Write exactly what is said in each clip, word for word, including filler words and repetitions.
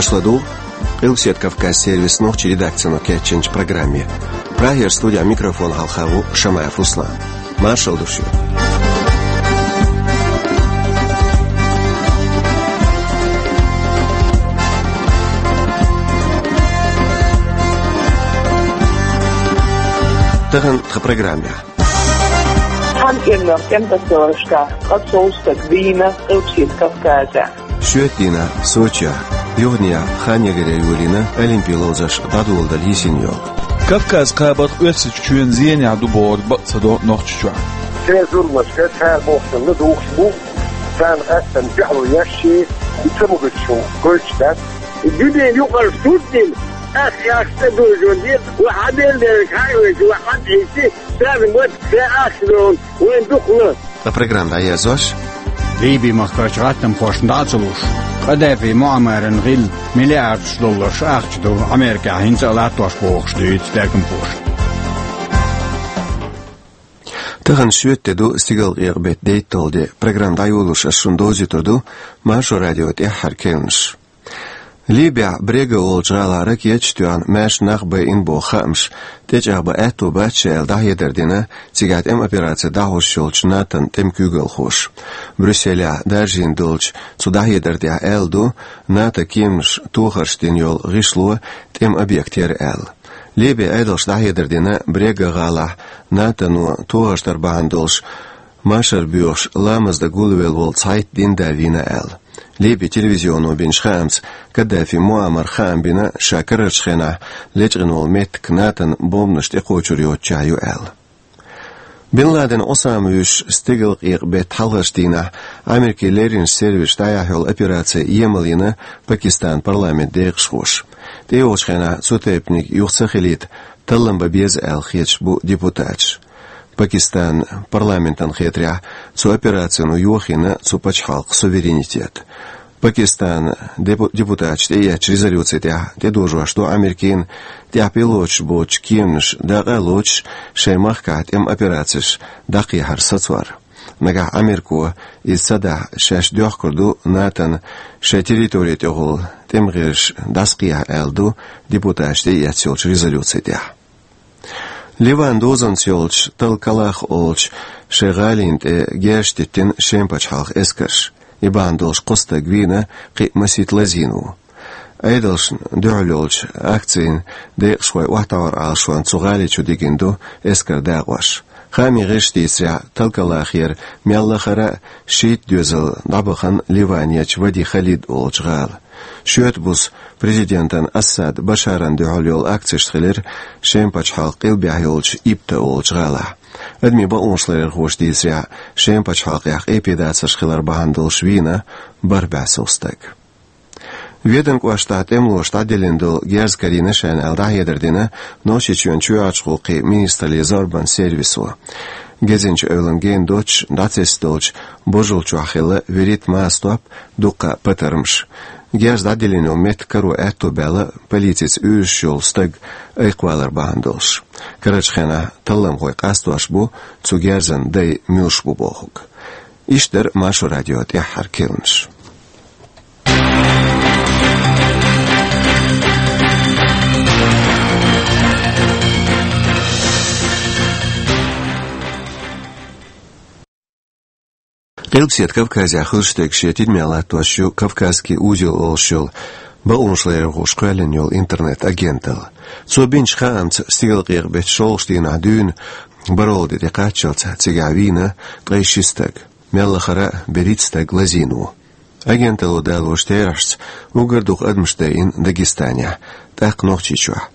Со ду Къилбаседа Кавказ сервисан нохчийн редакцино кечйинчу программе. Прагера студехь микрофон хьалха ву Шамаев Руслан. Маршалла ду шуьга. Тахана тхан программехь. Цхьана кӀирнах кӀентан совгӀаташкахь ткъе цхьа стаг вийна Къилбаседа Кавказехь. Шоьтан дийнахь Сочехь, юханехьа хан ягаре йолийна Олимпийн ловзарш дӀадоладала йисина йолу. Кавказ кхабарх Оьрсийчоьнан зенехь ду бохург бакъ ца до Нохчийчохь. Церан зуламашка, цара бохучунна духуш бу, царна къаьсттина дуьхьало еш, и ца могуш шуна гойтуш дац. Дуьненан юкъара сурт дина, ах, ах, тӀедожо деза, ва хьан ден дерг хьан вайша, ва хьан тӀейси, царна мотт ца ахча долу, вайн дукха ло. Ткъа программа дӀаерзош. Ливи-махкарчу гӀаттамхошна дӀа а ца луш, Къадафи Муаммаран гӀилла миллиардаш долларш ахча ду Америкехь хӀинца а латтош бохуш дуьйцу даьргамхоша. Тахана шоьтан де ду, стигалкъекъа беттан дейтталгӀа де. Программа дӀайолош ас шуна довзуьйтур ду Маршо радион тӀаьххьара кхаьънаш. Ливехь Брега олучу гӀалахь ракеташ а тоьхна, маьрша нах байина боху хаамаш тӀечӀагӀбан аьтто бац шен аьлла дӀахьедар дина цигахь тӀеман операци дӀахьош йолчу НАТОн тӀеман куьйгалхоша. Брюсселехь даржийна долчу цу дӀахьедар тӀехь аьлла ду, НАТОн кеманаш тохарш дина йолу гӀишло тӀеман объект яра аьлла. Ливин Ӏедалша дӀахьедар дина Брега гӀалахь НАТОно тохарш дар бахьана долуш машар боьхуш ламаз дан гулвелла волу цхьайтта дин да вийна аьлла. Ливин телевизионо бинчу хаамца, Каддафи Муаммара хаам бина, ша карарчу хенахь лечкъина волу меттиг НАТОн бомбанаш тӀекхочур йоцучохь ю аьлла. Бин Ладен Усама вуьйш стигалкъекъа беттан хьалхарчу дийнахь Америкин лерринчу сервисаша дӀаяхьа йолу операци емал йина Пакистанан парламентан декъашхоша. ТӀейогӀучу хенахь цу тайпаниг юха ца хилийта таллам бан беза аьлла хеташ бу депутаташ. Пакистанан парламентана хетарехь, цу операцино йохийна цу пачхьалкхан суверенитет. Пакистанан депу-, депутаташа тӀеэцначу резолюци тӀехь тӀедожош ду Америкина, тӀехь пилоташ боцучу кеманаша дакъа а лоцуш, шайн махкахь тӀеман операцеш дӀакхехьар сацор. Нагахь Америко иза ца дахь, шаьш доьхкур ду НАТОна шайн территори тӀехула тӀеман гӀирсаш дӀасакхехьа аьлла ду депутаташа тӀеэцна йолчу резолюци тӀехь. Ливанан дозанца йолчу Талкалах олучу шайн гӀалина тӀе герз диттина Шеман пачхьалкхан эскарша. И бахьана долуш кхо стаг вийна, кхин а масийтта лазийна ву. Ӏедалшна дуьхьал йолчу акцин декъашхой охьатаӀор Ӏалашонца цу гӀали чу дигина ду эскаран дакъош. Хаамийн гӀирсаша дийцарехь, Талкалахера мел лахара а шийтта доьзал дӀабахана Ливанерчу Вади Халид олучу гӀала. Шоьтан буса президентан Асад Башаран дуьхьал йолу акцеш хилира Шеман пачхьалкхан къилбехь йолчу Ибта олучу гӀалахь. Адамийн бакъонаш ларъярхоша дийцарехь, Шеман пачхьалкхехь къепедацарш хилар бахьана долуш вийна бархӀ бӀе сов стаг. Веданан кӀоштахь тӀемалоша дӀадиллина долу герз карийна шайна аьлла дӀахьедар дина Нохчийчоьнан чоьхьарчу гӀуллакхийн министраллин зорбанан сервисо. Гезинчу эвлана гена доццуш дӀацецдолчу божал чохь хилла вуьрхӀитта массатоп, дуккха а патармаш. Герз дӀадиллина йолу меттиг каро аьтто баьлла полицица уьйраш йолу стаг айкхвалар бахьана долуш. Карарчу хенахь талламхой къастош бу цу герзан дай муьлш бу бохург. Иштта дара Маршо радион тӀаьххьара кхаьънаш. Къилбаседа Кавказехь хуьлуш дерг шен тидаме латтош ю «Кавказский узел» олуш йолу бакъонаш ларъярхоша кхоьллина йолу интернет-агенталла. Цо бинчу хаамца, стигалкъекъа беттан шолгӀачу дийнахь дуьйна бархӀалгӀа де тӀекхаччалц цигахь вийна ткъе ши стаг. Мел лахара а берхӀитта стаг лазийна ву. Агенталло далочу терахьашца, уггар дукха адамаш дайина Дагестанехь, тӀаккха Нохчийчохь.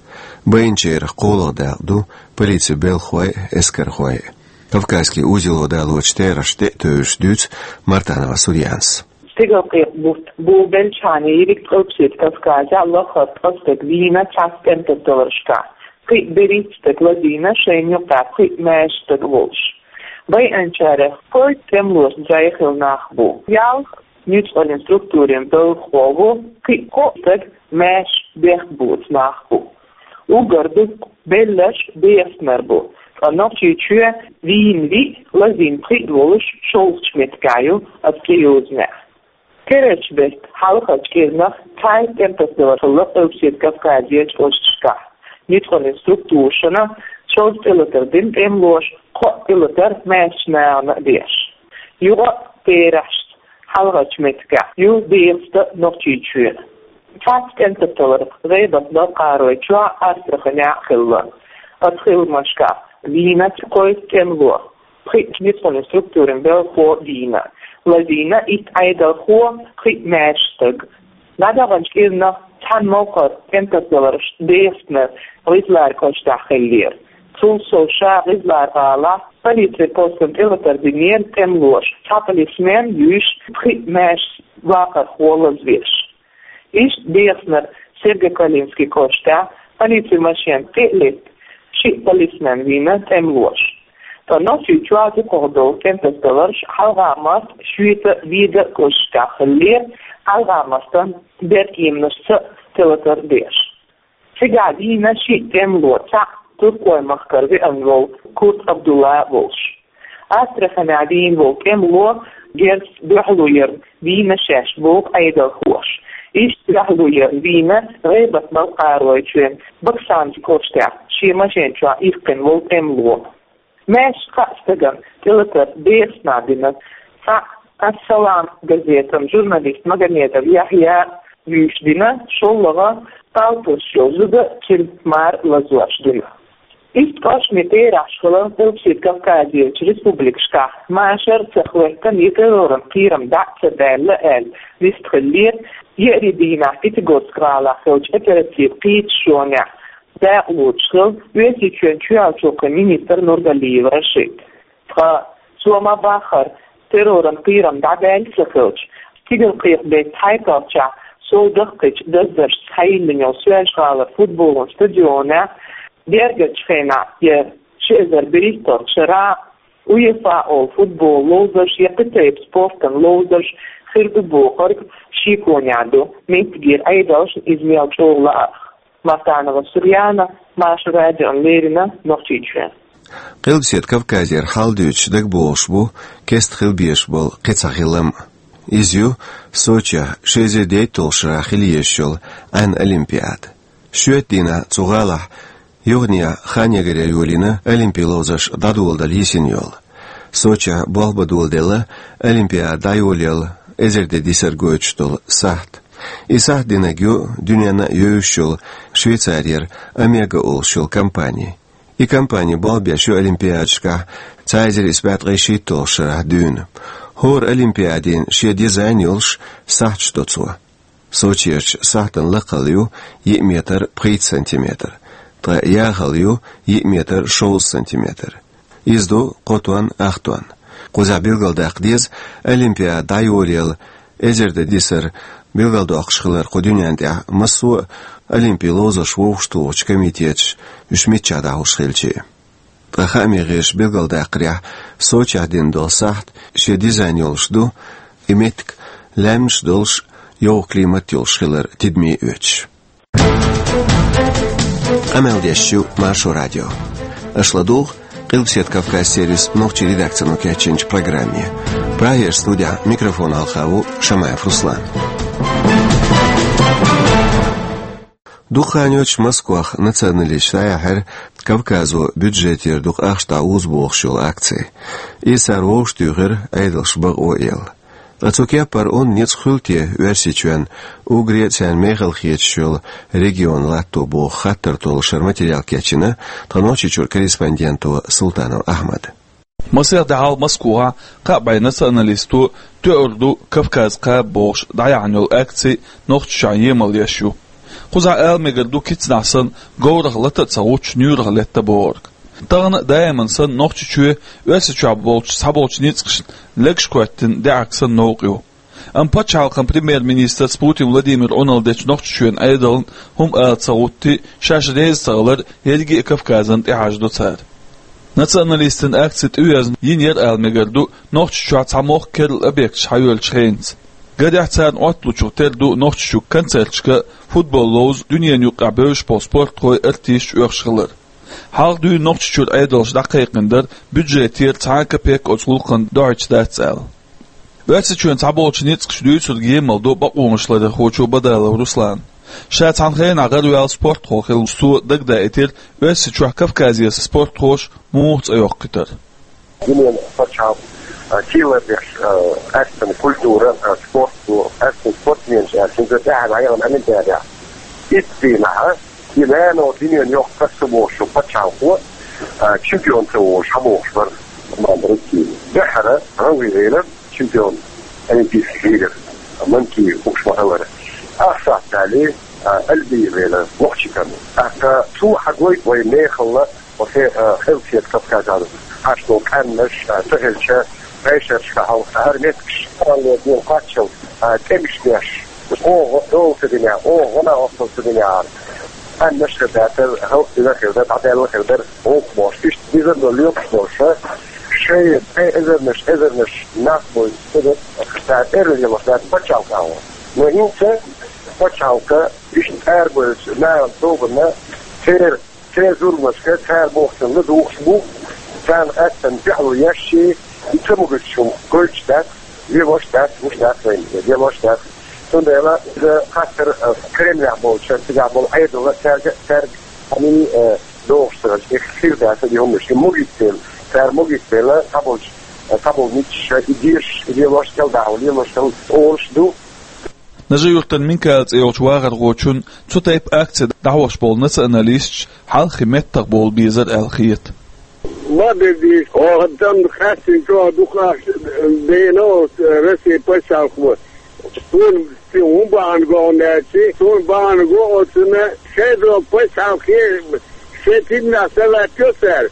Байинчарах кхоалгӀа дакъа ду полицин белхахой а, эскархой а. «Кавказский узело» далочу терахьашна тӀе а тевжаш дуьйцу Мартанова Сурьянас. Стигалкъекъа бутт болабелчхьана йиъиг Къилбаседа Кавказехь лахара ткъа стаг вийна цхьацца кӀентан совгӀаташкахь, кхин а берхӀитта стаг лазийна, шайна юкъахь пхиъ маьрша стаг волуш. Байинчарах кхойтта тӀемалошна зӀе хилла нах бу. Ялх нуьцкъаллин структурийн белхахо ву, кхин а кхо стаг маьрша бехк боцу нах бу. Уггар дукха белларш бехснарш бу, ткъа Нохчийчоь вийна виъ, лазийна пхиъ волуш шолгӀачу меттигехь ю оцу тӀейозанехь. Керарча бетта хьалхарчу кӀирнах цхьайтта тӀематасадалар хилла Къилбаседа Кавказерчу кӀошташкахь. Ницкъаллин структурашна шовзткъа тӀелатар дина тӀемалоша, кхоъ тӀелатар маьршачу нахана а деш. Юха а терахьашца хьалхарчу меттигехь ю дехаста Нохчийчоь. Цхьацца тӀематасадалар ГӀайбат-Балкхаройчохь а, Астраханехь а хилла. Оцу хиламашкахь вийна кхойтта тӀемало, пхиъ ницкъаллин структурийн белхахо вийна, лазийна итт Ӏедалхо, пхиъ маьрша стаг. ДӀадаханчу кӀирнах цхьана могӀара тӀематасадаларш дехаста ГӀизлар кӀоштахь хиллера. Цул сов ша ГӀизлар-гӀалахь полицин постана тӀелатар динера тӀемалоша, цхьа полисмен юьйш, пхиъ маьрша вахархо лазавеш. Иштта дехаснера Сергокалинский кӀоштахь, полицин машен тӀе а летта, шиъ полисмен вийна тӀемалоша. Ткъа Нохчийчохь дукхахдолу тӀематасадаларш хьалха март шоьца вийда кӀошташкахь хиллера, хьалха мартан беркеманашца тӀелатар деш. Цигахь вийна шиъ тӀемало, цхьаъ туркойн махкара веана волу Курт Абдулла волуш. Астраханехь вийна волу тӀемало герзаца дуьхьало ярна вийна шаьш боху Ӏедалхоша. Иштта дуьхьало ярна вийна ГӀайбат-Балкхаройчоьнан Баксанский кӀоштахь шен машен чохь иккхина волу тӀемало. Маьрша кхаа стагана тӀелатар дехаснехь дина. Цхьаъ «Ас-Салам» газетан журналист Магомедов Яхьъя юьйш дина, шоллагӀа палтарш йолу зуда, цуьнан мара лазош дина. Иштта кӀоштан терахьаш хилла Къилбаседа Кавказерчу республикашкахь машар а ца хӀоьттина я терроран кхерам дӀа а ца даьлла аьлла, вистхиллера еарин дийнахь Пятигорск-гӀалахь хиллачу оперативан кхеташонехь дакъа лоцуш хилла Оьрсийчоьнан чоьхьарчу гӀуллакхийн министр Нургалиев Рашид. Ткъа цо ма-баххара, терроран кхерам дӀадаьлла ца хилча, стигалкхетам беттан хьайкхалччахь сов дахкхийчу даздаршца схьайиллина йолу Соьлжа-ГӀалара футболан стадионехь, гергарчу хенахь я ши эзар берхӀитталгӀачу шарахь а, УЕФА олу футболан ловзарш я кхин тайпа спортан ловзарш хир ду бохург шеконехь ду меттигера Ӏедалшна иза мел чӀогӀа лаарх. Мартанова Сурьяна, Маршо радиона леррина, Нохчийчоь. Къилбаседа Кавказера хьал дуьйцуш дагабогӀуш бу кеста хила безаш болу кхин цхьа хилам. Иза ю Сочехь ши эзар дейтталгӀачу шарахь хила езаш йолу Ӏаьнан олимпиада. Шоьтан дийнахь цу гӀалахь юханехьа хан ягаре йолийна олимпийн ловзарш дӀадоладала йисина йолу. Сочехь болх бан доладелла олимпиада дӀайолаялла эзар де дисар гойтуш долу сахьт. И сахьт динарг ю дуьненна а евзаш йолу Швейцарера Омега олуш йолу компани. И компани болх беш ю олимпиадашкахь цхьа эзар исс бӀе ткъе шийтталгӀачу шарахь дуьйна. ХӀора олимпиадин шен дизайн йолуш сахьташ до цо. Сочерчу сахьтан лакхалла ю йиъ метр пхийтта сантиметр, ткъа яхалла ю йиъ метр шовзткъа сантиметр. Иза ду кхо тонн, ах тонн. Кхузахь билгалдаккха деза, олимпиада дӀайолаялла эзар де дисар билгалдоккхуш хилар кху дуьнен тӀехь массо а олимпийн ловзарш вовшахтухучу комитеташа уьш миччахь дӀахьуш хилча а. Ткъа хааман гӀирсаша билгалдаккхарехь, Сочехь дина долу сахьт шен дизайн йолуш ду, и меттиг лаьмнаш а долуш, йовха климат йолуш хилар тидаме а оьцуш. Къамел деш ю Маршо радио. Аша ладугӀу Къилбаседа Кавказ сервисан нохчийн редакцино кечйинчу программе. Прагерчу студехь микрофон хьалха ву Шамаев Руслан. Дукха хан йоццуш Москвахь националисташа дӀаяьхьира Кавказо бюджетера дукха ахча дӀаоза бохуш йолу акци. Иза цара вовшахтуьйхира Ӏедалш бакъо а елла. Ткъа цу кеппара онда ницкъ хуьлу те Оьрсийчоьнна уггаре а царна мехала хеташ йолу регион латто боху хаттар толлушара материал кечйина тхан Нохчийчуьра корреспонденто Султанов Ахьмада. Масех де хьалха Москвахь кхаа бӀе националисто тоьур ду Кавказ кхаба бохуш дӀаяьхьна йолу акци Нохчийчохь емал еш ю. Кхузахь ала мегар ду, кицнахь санна, говрах лата а ца гӀуттуш, нуьйрах летта бохург. Тахана а даиман санна Нохчийчоь Оьрсийчохь болчу цхьаболчу ницкъашна легаш коьттина даьӀахк санна новкъа ю. Амма пачхьалкхан премьер-министрца Путин Владимира Ӏуналла дечу Нохчийчоьнан Ӏедална хӀума ала ца гӀуттий, шаьш реза ца хилар ерриге а Кавказана тӀехьажадо цара. Националистийн акци тӀеоьзна йина яра ала мегар ду Нохчийчохь цхьа мохк керла объекташ схьайоьллучу хенца. Гадехь царна Ӏотталучух тера ду Нохчийчуьра концерташка, футбол ловза, дуьненаюкъахь бевзаш болу спортхой, артисташ оьхуш хилар. Хьалха дуьйна Нохчийчуьра Ӏедалша дӀакхайкхина дара, бюджетера цхьа а капек оцу гӀуллакхна дохьуьйтуш дац аьлла. Оьрсийчоьнан цхьаболчу ницкъаша дуьйцург емал до бакъонашларъярхочо Бадалов Руслана. Ша цхьана хенахь гӀараваьлла спортхо хилла, цо дагадаийтира Оьрсийчохь Кавказера спортхоша муха цӀе йоккхуьйтура. Дуьненан пачхьалкх, а, кийла деш, а, къаьсттина культура, а, спорт ду, къаьсттина спортсменаш аьлла, хӀинца тӀаьхьа дӀаяхана Олимпиадехь. Итт дийнахь, а, и нано дуьненан йоккха ца бохуш пачхьалкхо, а, чемпион ца волуш, хьан бохуш бара команда России. Дуьххьара гӀан вигӀира чемпион олимпийский лидер, Манкиев хууш ма-хиллара. Ах сахьт далий, а, Альби вена, вокху чикана. ТӀаккха цо хьан гой вай мехалла, оцу, а, хелсет Кавказан хьаштал къаьмнаш, а, ца хилча, бешаршка хьалха хӀара меттигаш, кхолле ден кхаччал, а, тӀемаш деш, оха дола ца динехь, оха гӀо-накъосталла ца динехь, къаьмнаш хир дацара, хӀаллакдина хир дара, дӀадаьлла хир дара, гӀуллакх бохуш, иштта дизар долу лоькхуш долуша, шайн, шайн эзарнаш, эзарнаш нах бойла ца дара, цара эрна лелош дац пачхьалкх агӀо. Но хӀинца пачхьалкха иштта арабевллачу нахана тобанна церан, церан зуламашка, цара бохучунна ладугӀуш бу, царна аьттан дуьхьало еш, и ца могуьйтуш хӀума гойтуш дац, лелош дац, гуш дац вайна, лелош дац. Цундела иза хаттар, а, Кремлехь болчара, цигахь болу Ӏедална, цаьрга, цаьрга хьуна, а, догӀуш ца хилча, и хир дац и хӀуманаш, и могуьйту дела, цара могуьйту дела, цхьаболчу, а, цхьаболу миччаша и дезаш, и лелош кӀелдахьа, лелош кӀел олуш ду. Нажи-Юьртан Минкаил цӀе йолчу вахархочунна цу тайпа акци дӀахьош болу националисташ хьалххе меттах бовла безара аьлла хета. Ма бедийша, оха дан хастина чӀогӀа дукха ахча бина оцу Россия пачхьалкхо. Суна хӀун бахьана го аьлча, суна бахьана го оцунна шайн долу пачхьалкхе шайн тидамехь ца латтайо цара.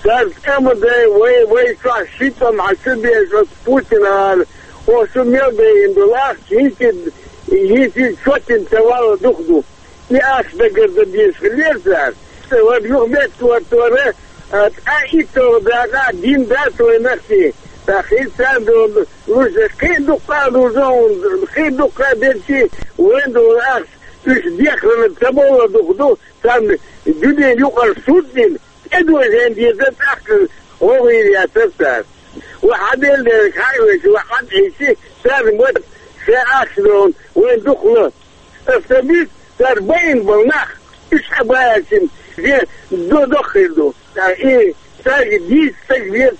Цара тӀе ма дай, вай, вай чохь ши тӀом хьан чу беш оцу Путина ала, оха шу мел бейина долу ахча, хӀинца, хӀинца чоттина ца валла дукха ду. И ахча дагар дан дезаш хилла цара. Вара юха меттахӀоттора, а, ткъа итталгӀа дакъа дин дац вайн нахчий. ТӀаккха хӀинца царна долу луш, кхин а дуккха а лузо хьуна, кхин а дуккха а дерчий, вайн долу ахча уьш дехарна ца бовла дукха ду, царна дуьненан юкъара суд дина, тӀедожийна деза тӀаккха гӀовгӀа яцара цара. Ва хьан делла дерг хьан а веша, ва хьан а Ӏийчи, царна ма шайн ахча долу вайн дукха ло. Аса ца буьйцу, цара байина болу нах, уьш хьан баьлчина, де до-, доххийла ду. Ткъа и цаьрга дийца стаг веза,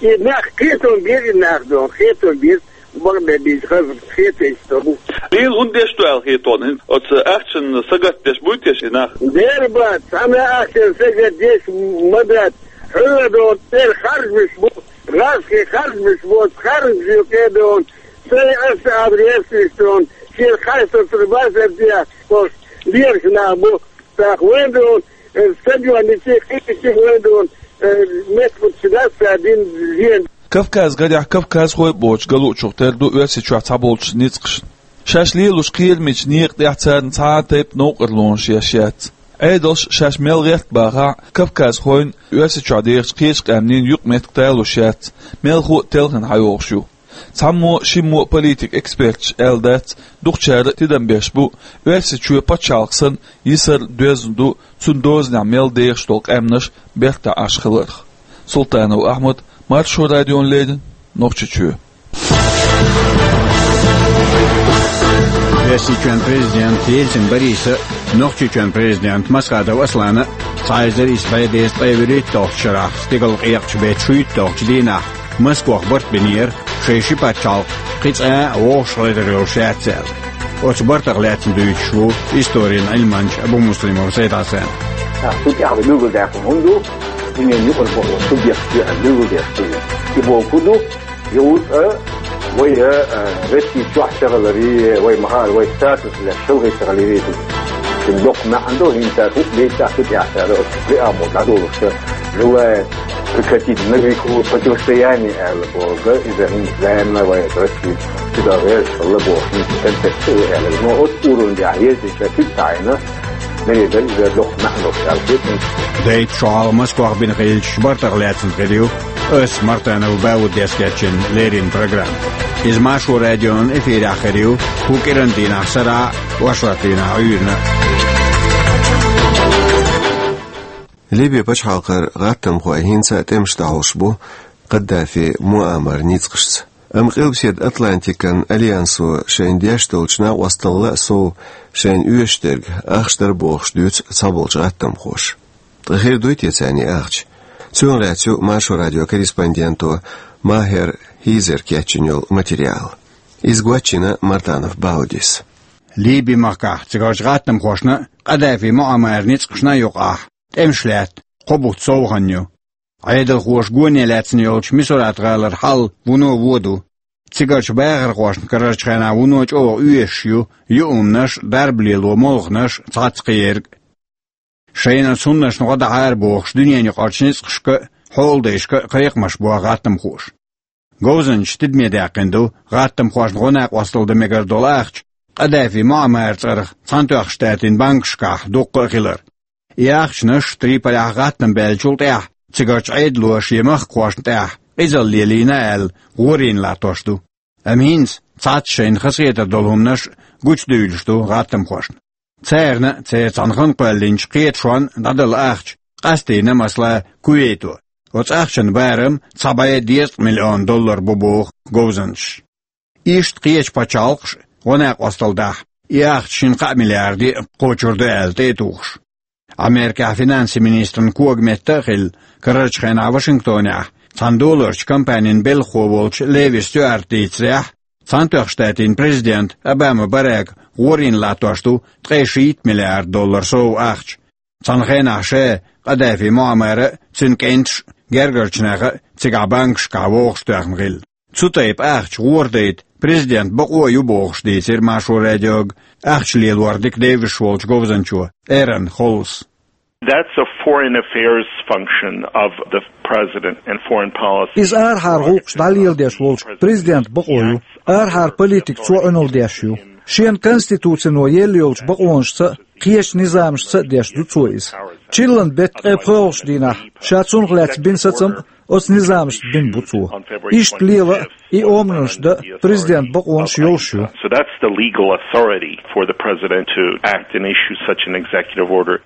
и нах кхетам бер, и нах долу, кхетам бер, бакъдерг дийца хаза кхетам бу. Дийна хӀунда деш ду аьлла хета хьуна, оцу ахчанна сагатдеш буй те и нах? Дера бац, цхьана ахчанна сагатдеш ма дац. Хьуьлла долу тӀера харжамаш бу, гӀазкхийн харжамаш бу, оцу харжамашна юкъе долу, сайн аса абар ясвиш долу, шен хастар базар дехь, оцу лераш нах бу, тӀаккха вайн долу, э, стадионе, кхечи вайн долу, э, меттигаш дац цара дина зен. Кавказ гарехь кавказхой а боцуш галучух тера ду Оьрсийчохь цхьаболчу ницкъашна. Шаьш лелош кхерамечу некъа тӀехь царна цхьа а тайпа новкъарлонаш еш яц. Ӏедалш шаьш мел гӀерта бахахь а, кавказхойн Оьрсийчохь дехачу кхечу къаьмнийн юкъаметтиг талуш яц, мелхо а телхина хьайогӀуш ю. Цхьаммо а, шиммо а политик эксперташа аьлла дац, дукхачара а тидам беш бу, Оьрсийчоь пачхьалкх санна йисар доьзна ду, цуьнан дозанехь мел дехаш долу къаьмнаш бертахь Ӏаш хиларх. Султанов Ахьмад, Маршо радиона леррина, Нохчийчоь. Оьрсийчоьнан президент Ельцин Бориса а, Нохчийчоьнан президент Масхадов Аслана а цхьа эзар исс бӀе дезткъе вуьрхӀитталгӀачу шарахь стигалкъекъачу беттан шуьйтталгӀачу дийнахь Москвахь барт бинера шайн ши пачхьалкх кхин цкъа а вовшахкхетар йолуш яц аьлла. Оцу бартах лаьцна дуьйцуш ву историн Ӏилманча Абумуслимов Сайд-Хьасан. Цу тӀехь билгалдаьккхина хӀунда ду, дуьненан юкъара бакъо субъект ю аьлла билгалдеш ду. И бохург хӀун ду, и ву цкъа вай, а, Россия чохь ца хиларе, вай ма-хаъара, вай статус леш шалгӀе ца хиларе ду. Цуьнан доккха маьӀна ду, хӀинца цара хӀуъа беттахь цу тӀехь цара оцу веа мо дӀадолуш ца, желает прекратить на веку противостояние аьлла бохург, иза хӀинца лаьмна вай Россия цигахь гӀерташ хилла бохуш, хӀинца концепция ю аьлла. Но оцу уровне тӀехь еза Ша куьг таӀийна, мегар дара иза доккха маьӀна долуш аьлла хеташ. Дайта шо хьалха Москвахь бина хиллачу бартах лаьцна хир ю ас, Мартанов Бауддис кечйина леррина программа. Иза Маршо радион эфирехь хир ю хӀокху кӀиранан дийнахь сарахь а, оршот дийнахь Ӏуьйранна а. Ливин пачхьалкхара гӀаттамхой хӀинца а тӀемаш дӀахьош бу Каддафи Муаммар ницкъашца. Амма Къилбаседа Атлантикан альянсо шайна деш долчу накъосталла а сов шайна оьшуш дерг ахча дара бохуш дуьйцу цхьаболчу гӀаттамхоша. Ткъа хир дуй те царна и ахча? Цунах лаьцна ю Маршо радион корреспонденто Махер Хьизера кечйина йолу материал. Иза гочйина Мартанов Баудис. Ливин махкахь цигарчу гӀаттамхошна а, Къадафи Муаммаран ницкъашна а юкъахь тӀемаш лаьтта кхо бутт сов хан ю. Ӏедалхоша гоне лаьцна йолчу Мисурат-гӀалара хьал вуно вон ду. Цигарчу бахархошна карарчу хенахь вуно чӀогӀа оьшуш ю юург а, дарба лело молханаш а, цхьацца кхин ерг а. Шайна оцу хӀуманашна гӀо дан хьара бохуш, дуьненаюкъарчу ницкъашка а, хьолдайшка а кхайкхамаш бо гӀаттамхоша. Говзанчаша тидаме даьккхина ду гӀаттамхошна гӀо-накъосталла дан мегар долу ахча Къадафи Муаммаран цӀарах Цхьаьнатоьхначу Штатийн банкашкахь дуккха а хилар. И ахчанаш Триполехь гӀаттам баьллачул тӀаьхьа цигарчу Ӏедало шен махкахошна тӀехь къизалла лелийна аьлла гӀорийна латтош ду. Амма хӀинца цхьацца шайна хазахетар долу хӀуманаш гучудуьйлуш ду гӀаттамхошна. Царна а, церан цхьана хан кхоьллинчу кхеташонна дӀадала ахча къастийна, масала, Кувейто. Оцу ахчан барам цхьа бӀе дезткъа миллион доллар бу боху говзанчаша. Иштта кхечу пачхьалкхаша а гӀо-накъосталла дахь, и ахча шина-кхаа миллиарде а кхочур ду аьлла тӀе а тухуш. Америкехь финансийн министран когаметта а хилла, карарчу хенахь Вашингтонехь цхьана долларчу компанин белхахо волчу Леви Стюарта дийцарехь, Цхьаьнатоьхначу Штатийн президента Обама Барака гӀорийна латтош ду ткъе шийтта миллиард доллар сов ахча. Цхьана хенахь ша Къадафи Муаммара а, цуьнан кӀенташа а, гергарчу наха а цигахь банкашкахь вовшахтоьхна хилла. Цу тайпа ахча гӀора дайта президентан бакъо а ю бохуш дийцира Маршо радиога ахча лелор дика девзаш волчу говзанчо Эрон Холлс. That's a foreign affairs function of the president and foreign policy. Иза арахьара гӀуллакхаш дӀалеладеш волчу президентан бакъо ю. Арахьара политика цо Ӏуналла деш ю. Шена конституцино елла йолчу бакъонашца а, кхечу низамашца а деш ду цо иза. Чиллан беттан ткъе пхоьалгӀачу дийнахь ша цунах лаьцна бина сацам а оцу низамашца бина бу цо. Иштта лела а, и омранаш дан а президентан бакъонаш йолуш ю. So that's the legal authority for the president to act and issue such an executive order.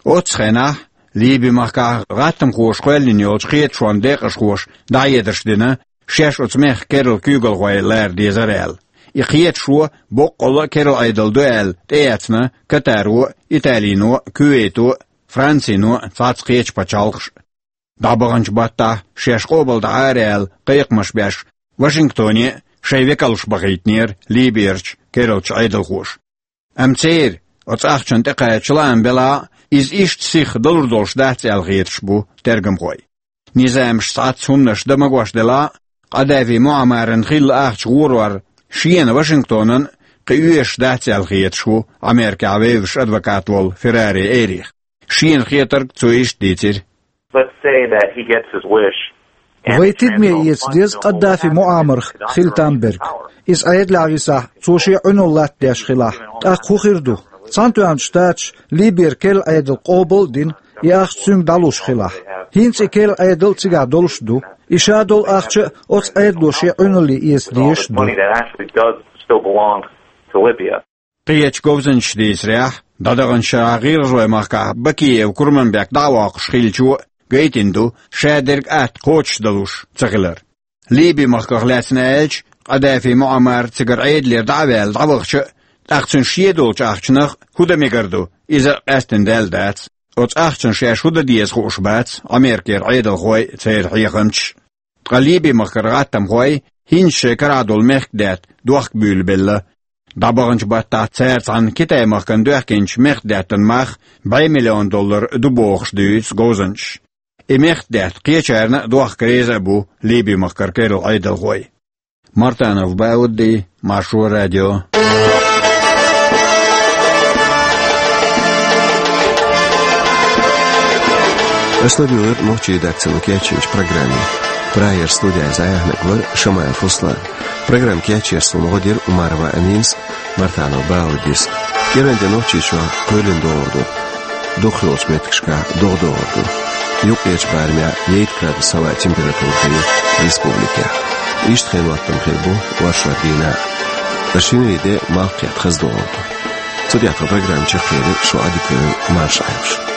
Оццу хенахь Ливин махкахь гӀаттамхоша кхоьллина йолчу кхеташонан декъашхоша дӀахьедарш дина, шаьш оцу мехкан керла куьйгалхой лара дезара аьлла. И кхеташо боккъалла а керла Ӏедал ду аьлла тӀеэцна Катаро а, Италино а, Кувейто а, Францино а, цхьацца кхечу пачхьалкхаша а. ДӀабаханчу баттахь шаьш къобалдан Ӏара аьлла кхайкхамаш беш, Вашингтоне а шайн векалш бахийтинера Ливерчу керлачу Ӏедалхоша. Амма церан оцу ахчанна тӀекхача лаам белахь а, иза иштта сиха далур долуш дац аьлла хеташ бу тергамхой. Низамаш цхьацца хӀуманаш дан магош делахь а, Къадафи Муаммаран хилла ахча гӀорор шена Вашингтонан а кхин оьшуш дац аьлла хеташ ву Америкехь вевзаш адвокат волу Феррари Эрих. Шена хетарг цо иштта дийцира. Let's say that he gets his wish. Вай тидаме эца деза Къаддафи Муаммарах хила там берг. Иза Ӏедалехь висахь, цо шен Ӏуналла латтадеш хилахь, тӀаккха хӀун хир ду? Цхьаьнатоьхначу Штаташа Ливера керла Ӏедал къобал а дина, и ахча цуьнга дӀалуш хилахь. ХӀинца и керла Ӏедал а цигахь долуш а ду. И ша долу ахча а оцу Ӏедало шен Ӏуналле эца дезаш а ду. Money that actually does still belong to Libya. Кхечу говзанчаша дийцарехь, дӀадаханчу шарахь ГӀиргӀазойн махкахь Бакиев Курманбек дӀа а воккхуш хиллачо а гайтина ду, шадерг атта кхочушдалуш ца хилар. Ливи-махках лаьцна аьлча, Къадафи Муаммар цигара Ӏедалера дӀа а ваьлла дӀавахча а, тӀаккха цуьнан шен долчу ахчанах хӀун дан мегар ду, иза а къаьстина даьлла дац. Оцу ахчанна шаьш хӀун дан деза хууш бац Америкера Ӏедалхой а, церан хьехамчаш а. Ткъа Ливи-махкара гӀаттамхой хӀинца шайн карахь долу мехкдаьтта дохка буьйлабелла. ДӀабаханчу баттахь цара цхьаьна Китай-махкана доьхкинчу мехкдаьттан мах бӀе миллион доллар ду бохуш дуьйцу говзанчаша. И мехкдаьтта кхечарна а дохка реза а бу Ливи-махкара керла Ӏедалхой. Мартанов Баудди, Маршо радио. Аш ладуьйгӀира нохчийн редакцино кечйинчу программе. Прагера студехь зӀе яхьнаг вара Шамаев Руслан. Программа кечъеш суна гӀо дира Умарова Аминас, Мартанов Бауддис. КӀиранде Нохчийчохь кхоьлина догӀур ду. Дукхахйолчу меттигашкахь догӀа догӀур ду. Юккъерчу барамехь ейтта градус хӀаваан температура хир ю республикехь. Иштта хенан хӀоттам хир бу оршот дийнахь а. Ткъа шинарин де малх кхетта хаза догӀур ду. Цу тӀехь тхан программа чекхъели, шу Ӏадика йойла, марша Ӏайла шу.